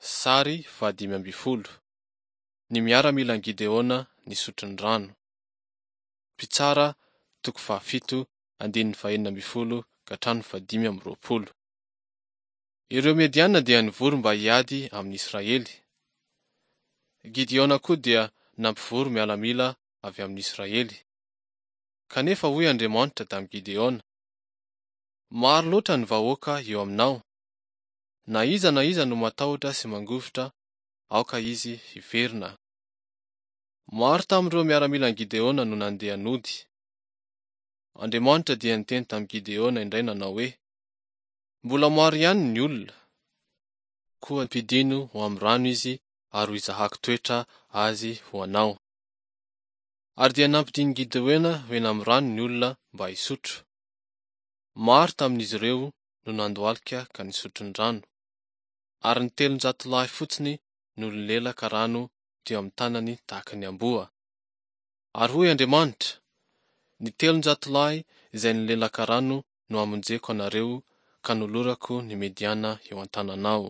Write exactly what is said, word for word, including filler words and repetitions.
Sary fahadimy ambin'ny folo. Ny miaramilan'i Gideona nisotro ny rano. Mpitsara toko fahafito andininy fahenina ambin'ny folo ka hatramin'ny fahadimy amby roapolo. Ireo Mediana dia nivory mba hiady amin'ny Israely. Gideona koa dia nampivory miaramila avy amin'ny Israely. Kanefa hoy Andriamanitra tamin'i Gideona: Maro loatra ny vahoaka eo aminao. Na iza na iza no matahotra sy mangovitra, aoka izy hiverina. Maro tamin'ireo miaramilan'i Gideona no nandeha nody. Andriamanitra dia niteny tamin'i Gideona indray nanao hoe: Mbola maro ihany ny olona, koa ampidino ho amin'ny rano izy ary ho izahako toetra azy ho anao. Ary dia nampidin'i Gideona ho eny amin'ny rano ny olona mba hisotro. Maro tamin'izy ireo no nandohalika ka nisotro ny rano, ary ny telonjato lahy fotsiny no nilelaka rano teo amin'ny tanany tahaka ny amboa. Ary hoy Andriamanitra: Ny telonjato lahy izay nilelaka rano no hamonjeko anareo ka nolorako ny Mediana eo an-tananao.